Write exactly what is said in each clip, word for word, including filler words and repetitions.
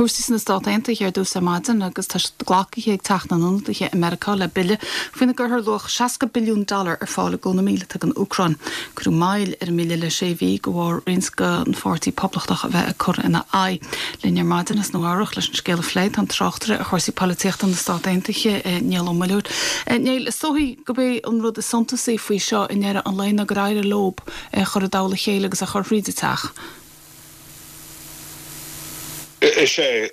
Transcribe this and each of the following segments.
Cúrsaí sna Stáit Aontaithe ar dtús ar maidin agus tá glactha ag Teach na nIonadaithe i Meiriceá le bille faoina gcuirfear luach seasca billiún dollar ar fáil i gcúnamh míleata don Úcráin. Cuireadh moill ar an mbille le sé mhí de bharr roinnt den pháirtí Poblachtach a bheith ag cur ina aghaidh. Linn ar maidin as Nua Eabhrac leis an scéal a phlé tá an tráchtaire ar chúrsaí polaitíochta na Stát Aontaithe Niall Ó Muilleoir. Niall is dóigh gurb é an rud is suntasaí faoi seo i ndeireadh an lae ná gur éirigh leo é a chur i dtoll a chéile agus a chur thríd an teach. Is é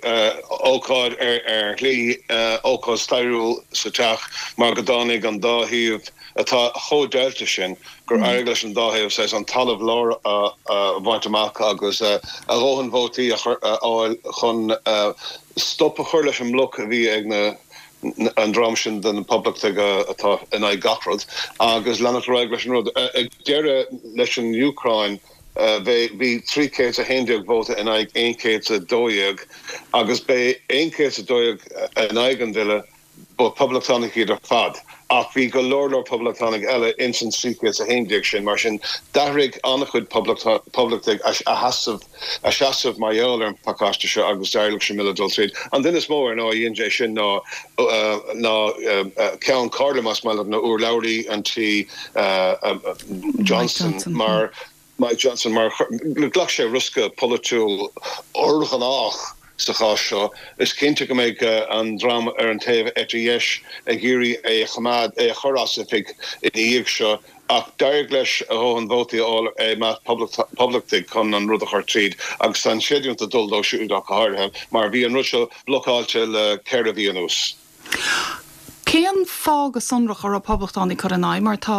ócáid ar shlí ócáid stairiúil sa teach mar go dtáinig an dá thaobh atá chomh deighilte sin gur éirigh leis an dá thaobh saghas an talamh láir a bhaint amach agus a dhóthain vótaí a fháil chun stop a chur leis an mbloc a bhí ag na an dream sin de na poblachtaigh atá in aghaidh gach rud agus leanacht ar aghaidh leis an rud. Ag deireadh leis an Úcráin bhí trí chéad a haon déag vóta in aghaidh aon chéad a dó dhéag agus b'é aon chéad a dó dhéag in aghaidh an bhille ba poblachtánaigh iad ar fad. Ach bhí go leor leor poblachtánaigh eile ins an trí chéad a haon déag sin, mar sin d'athraigh an-chuid poblachtaigh a sheasamh a seasamh mar gheall ar an phacáiste seo agus d'éirigh leis an mbille dul tríd. An duine is mó ar ndóigh a dhein é sin ná ná Ceann Comhairle más maith leat nó urlabhraí an tí Johnson mar Mike Johnson mar ghlac sé riosca polaitiúil urghnách sa chás seo. Is cinnte go mbeidh an dream ar an taobh eite dheis ag iarraidh é a choimeád, é a chur as oifig ina dhiaidh seo, ach d'éirigh leis a dhóthain vótaí a fháil i measc poblachtaigh chun an rud a chur tríd agus tá an chreidiúint ag dul dó siúd ach go háirithe mar bhí an rud seo blocáilte le ceithre mhí anuas. Cén fáth go sonrach a raibh poblachtánaigh ag cur ina aghaidh? Mar tá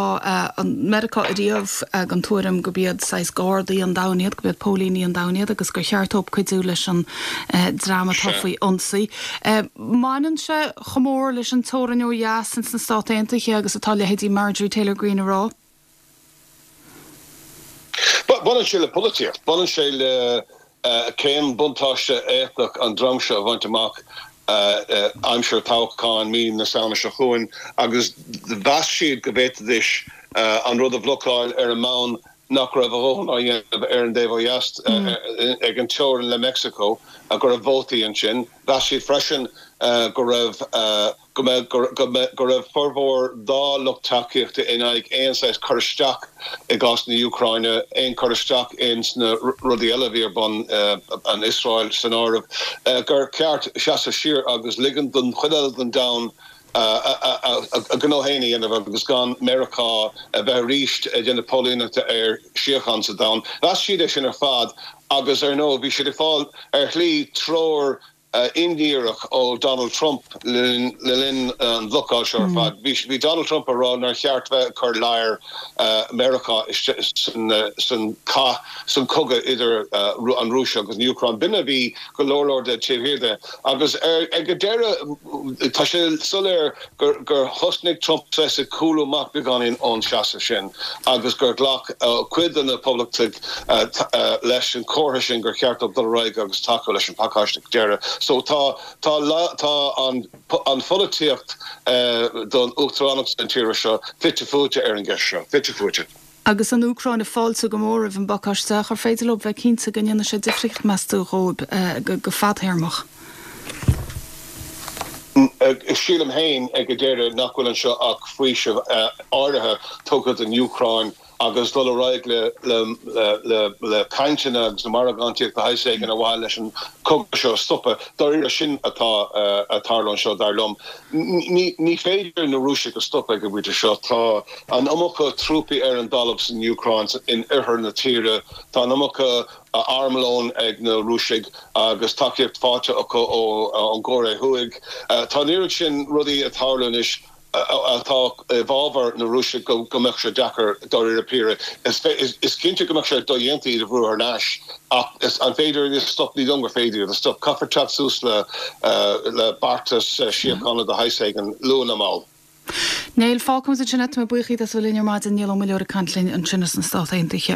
Meiriceá ariamh den tuairim gurb iad saghas gardaí an domhain iad, gurb iad póilíní an domhain iad agus gur cheart dóibh cuidiú leis an dream atá faoi ionsaí. Mbaineann sé chomh mór leis an teorainn ó dheas ins na Stáit Aontaithe agus atá leithéidí Marjorie Taylor Greene a rá? Baineann sé le polaitíocht. Baineann sé le cén buntáiste a fhéadfadh an dream seo a bhaint amach aimsir toghcháin mí na Samhna seo chugainn agus mheas siad go bhféadfaidís an rud a bhlocáil ar an mbonn nach raibh a dhóthain á dhéanamh ar an dtaobh ó dheas ag an teorainn le Meicsiceo, go raibh vótaí ansin. Mheas siad freisin go raibh go mbeadh go raibh formhór dá lucht tacaíochta in aghaidh aon saghas cur isteach i gcás na hÚcráine, aon cur isteach ins na rudaí eile a bhí ar bun, an Iosrael san áireamh, gur ceart seasamh siar agus ligean don chuid eile den domhan a ngnó féin a dhéanamh agus gan Meiriceá a bheith arís ag déanamh póilíneachta ar síocháin sa domhan. Mheas siad é sin ar fad agus ar ndóigh bhí siad ag fáil ar shlí treoir indíreach ó Donald Trump le linn an bhlocáil seo ar fad. Bhí Donald Trump ag rá nár cheart bheith ag cur ladhar Meiriceá san cath, san cogadh idir an Rúis agus an Úcráin. B'in a bhí go leor leor de taobh thiar de. Agus ag an deireadh tá sé soiléir gur thosnaigh Trump saghas ag cúlú amach beagáinín ón seasamh sin agus gur ghlac cuid de na Poblachtaigh leis an chomhartha sin gur cheart dóibh dul ar aghaidh agus tacú leis an phacáiste ag deireadh. So tá tá tá an an pholaitíocht don uachtaránacht san tír seo fite fuaite ar an gceist seo, fite fuaite. Agus an Úcráin ag fáiltiú go mór roimh an bpacáiste, ach ar féidir leo bheith cinnte go ndéanfaidh sé difríocht, meas tú, dhóibh go fadtéarmach? Sílim féin ag an deireadh nach bhfuil anseo ach faoiseamh áirithe tugtha don Úcráin agus dul ar aghaidh le cainteanna agus le margántaíocht de shaghas éigin ar mhaithe leis an chogadh seo a stopadh. Dáiríre, sin atá ag tarlú anseo, dar liom. Ní féidir na Rúisigh a stopadh ag an bpointe seo. Tá an iomarca trúpaí ar an dtalamh san Úcráin, in oirthear na tíre. Tá an iomarca armlóin ag na Rúisigh agus tacaíocht faighte acu ón gCóiré Thuaidh. Tá an oiread sin rudaí ag tarlú anois atá i bhfabhar na Rúise go mbeadh sé deacair dáiríre píre. Is cinnte go mbeadh sé dodhéanta iad a bhrú thar n-ais ach an féidir iad a stop? Ní dóigh liom gur féidir iad a stop. Caithfear teacht suas le beartas síochána de shaghas éigin, luath nó mall. Niall, fágfaimid ansin é. Tá mé buíoch díot as a bheith linn ar maidin. Niall Ó Muilleoir ag caint linn ansin as na Stát Aontaithe.